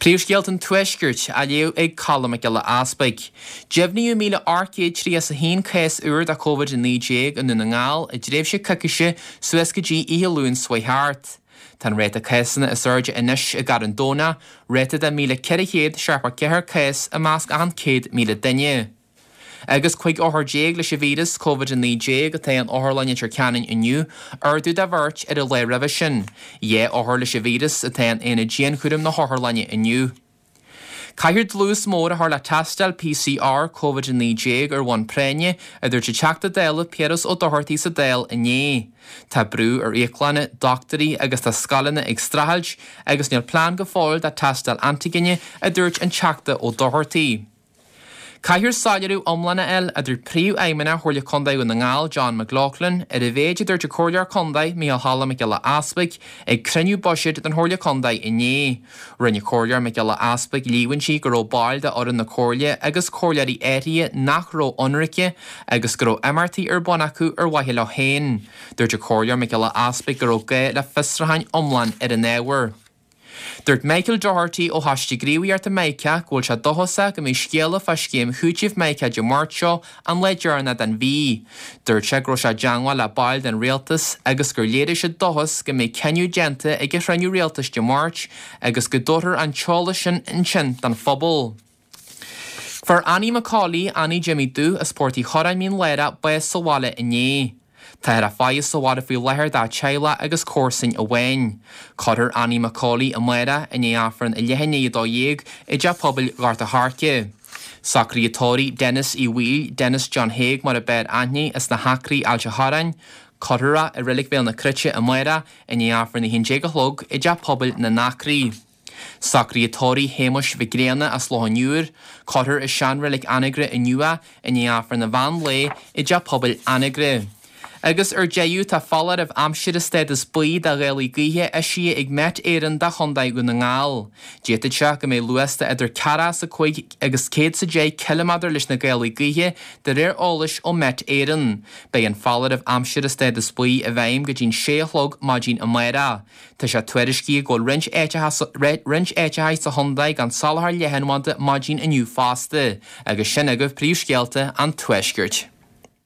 Príomhscéalta an Tuaiscirt á léamh ag Colm Mac Giolla Easpaig. Deimhníodh 1,831 cás úr de Covid-19 i nDún na nGall i dtréimhse coicíse suas go dtí oíche Luain seo chuaigh thart. Tá an ráta cásanna is airde anois i gCarn Domhnach, ráta de 1,474 cás i measc achan 100,000 duine. Agus 15 othar leis an víreas Covid-19 atá in Otharlann Leitir Ceanainn inniu, ardú de bheirt ar an lá roimhe sin. 2 othar leis an víreas atá in aonad dianchúraim na hotharlainne inniu. Caithfear dlús mór a chur le tástáil PCR Covid-19 ar bhonn práinne, a dúirt an Teachta Dála Piaras Ó Dochartaigh sa Dáil inné. Tá brú ar íoclanna, dochtúirí agus tá scoileanna ag streachailt agus níl plean go fóill do tástáil antaigine, a dúirt an Teachta Ó Dochartaigh. Caithfear soiléiriú iomlán a fháil, a dúirt Príomhfheidhmeannach Chomhairle Contae Dhún na nGall, John McLaughlin, ar an mhéid a dúirt an Comhairleoir Contae, Micheál Choilm Mac Giolla Easpaig, ag cruinniú buiséid den Chomhairle Contae inné. Rinne Comhairleoir Mac Giolla Easpaig líomhaintí go raibh baill de fhoireann na Comhairle agus comhairleoirí áirithe nach raibh ionraice agus go raibh imeachtaí ar bun acu ar mhaithe leo féin. Dúirt an Comhairleoir Mac Giolla Easpaig go raibh gá le fiosrúchán iomlán ar an ábhar. Dúirt Michael Doherty ó Choiste Gníomhaíochta Mica go bhfuil sé dóchasach go mbeidh scéala fá scéim chúitimh Mica Dé Máirt seo an lá deireanach den mhí. Dúirt sé go raibh sé i dteangmháil le baill den rialtas agus gur léirigh siad dóchas go mbeidh cinneadh déanta ag an chruinniú rialtais Dé Máirt agus go dtabharfar an t-eolas sin ansin don phobal. Fuair Annie McCauley, Annie Jimmy Dubh as Port Uí Chorráin, Mín Lárach, bás sa bhaile inné. Táthar á faire sa bhaile faoi láthair dá teaghlach agus comharsain amháin. Cuirfear Annie McCauley amárach i ndiaidh Aifreann a leath i ndiaidh 12 i dTeach Pobail Ghort a' Choirce. Socruithe tórraimh Denis Uí Bhaoill, Denis John Thaidhg mar a b'fhearr aithne, as na hAcraí, Ailt a' Chorráin, cuirfear é i Reilig Bhéal na Cruite amárach i ndiaidh Aifreann 11 a chlog i dTeach Pobail na nAcraí. Socruithe tórraimh Shéamuis Mhic Grianna as Loch an Iúir, cuirfear i seanreilig Anagaire inniu é i ndiaidh Aifreann an mheán lae i dTeach Pobail Anagaire. Agus ar deireadh, tá foláireamh aimsire stádas buí do ghálaí gaoithe eisithe ag Met Éireann do Chontae Dhún na nGall. D'fhéadfadh sé go mbeidh luas de idir 45 agus 110 ciliméadar leis na gálaí gaoithe de réir eolais ó Met Éireann. Beidh an foláireamh aimsire stádas buí i bhfeidhm go dtí'n 6 a chlog maidin amárach. Tá sé tuairiscithe go bhfuil roinnt roinnt áiteacha sa chontae gan soláthar leathanbhanda maidin inniu fosta. Agus sin agaibh príomhscéalta an Tuaiscirt.